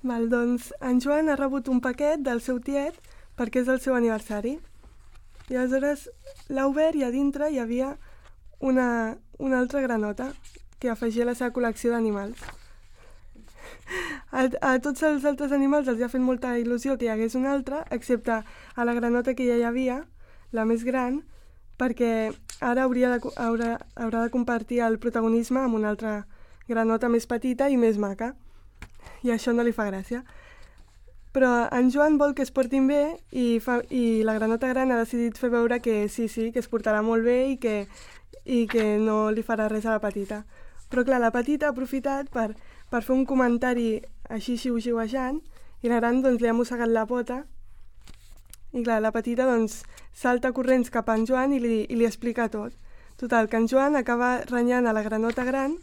Doncs en Joan ha rebut un paquet del seu tiet perquè és el seu aniversari. I aleshores l'ha obert i a dintre hi havia una altra granota que afegia a la seva col·lecció d'animals. A tots els altres animals els ha fet molta il·lusió que hi hagués una altra, excepte a la granota que ja hi havia, la més gran, perquè ara haurà de compartir el protagonisme amb una altra granota més petita i més maca. I això no li fa gràcia. Però en Joan vol que es portin bé i la granota gran ha decidit fer veure que sí, que es portarà molt bé i que no li farà res a la petita. Però clar, la petita ha aprofitat per fer un comentari així xiu-xiuejant i la gran doncs li ha mossegat la pota i clar, la petita doncs salta corrents cap a en Joan i li explica tot. Total, que en Joan acaba renyant a la granota gran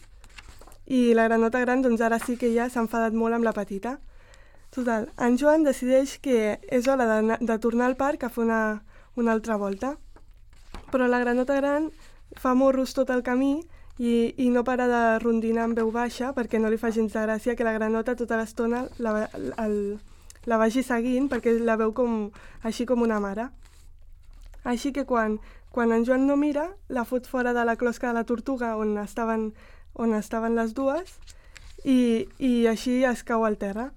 i la granota gran doncs ara sí que ja s'ha enfadat molt amb la petita. Total, en Joan decideix que és hora de tornar al parc a fer una altra volta. Però la granota gran fa morros tot el camí i no para de rondinar en veu baixa perquè no li fa gens de gràcia que la granota tota l'estona la vagi seguint perquè la veu així com una mare. Així que quan en Joan no mira, la fot fora de la closca de la tortuga on estaven les dues i així es cau al terra.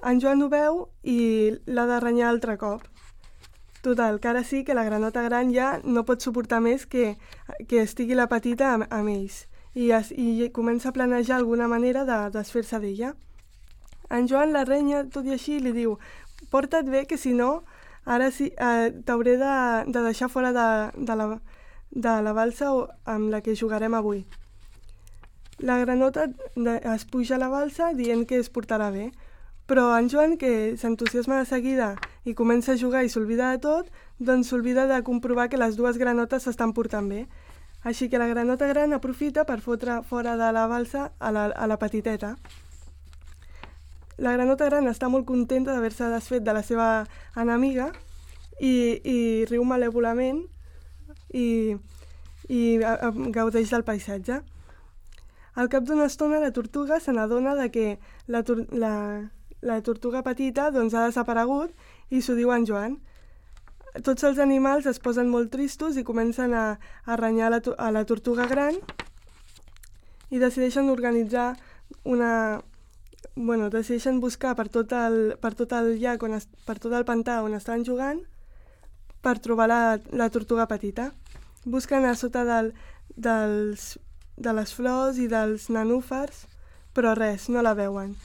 En Joan ho veu i l'ha de renyar altre cop. Total, que ara sí que la granota gran ja no pot suportar més que estigui la petita amb ells i comença a planejar alguna manera de desfer-se d'ella. En Joan la renya tot i així i li diu: porta't bé que si no ara sí t'hauré de deixar fora de la balsa amb la que jugarem avui. La granota es puja a la balsa dient que es portarà bé, però en Joan, que s'entusiasma de seguida i comença a jugar i s'oblida de tot, doncs s'oblida de comprovar que les dues granotes s'estan portant bé. Així que la granota gran aprofita per fotre fora de la balsa a la petiteta. La granota gran està molt contenta d'haver-se desfet de la seva enemiga i riu malèvolament i gaudeix del paisatge. Al cap d'una estona la tortuga se n'adona que la tortuga petita doncs, ha desaparegut i s'ho diu en Joan. Tots els animals es posen molt tristos i comencen a renyar a la tortuga gran i decideixen organitzar decideixen buscar per tot el llac, per tot el pantà on estan jugant per trobar la tortuga petita. Busquen a sota de les flors i dels nenúfars, però res, no la veuen.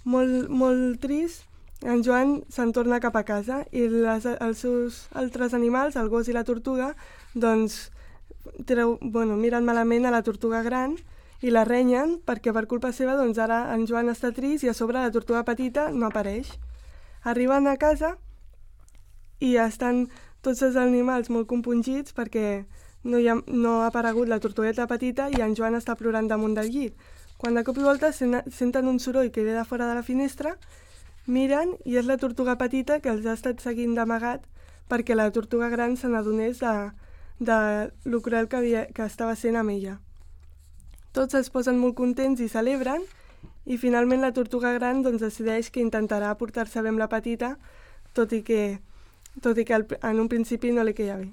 Molt trist, en Joan se'n torna cap a casa i els seus altres animals, el gos i la tortuga, doncs miren malament a la tortuga gran i la renyen perquè per culpa seva doncs ara en Joan està trist i a sobre la tortuga petita no apareix. Arriben a casa i estan tots els animals molt compungits perquè no ha aparegut la tortugueta petita i en Joan està plorant damunt del llit. Quan de cop i volta senten un soroll que ve de fora de la finestra, miren i és la tortuga petita que els ha estat seguint d'amagat perquè la tortuga gran se n'adonés de lo cruel que estava sent amb ella. Tots es posen molt contents i celebren i finalment la tortuga gran doncs, decideix que intentarà portar-se bé amb la petita, tot i que en un principi no li queia bé.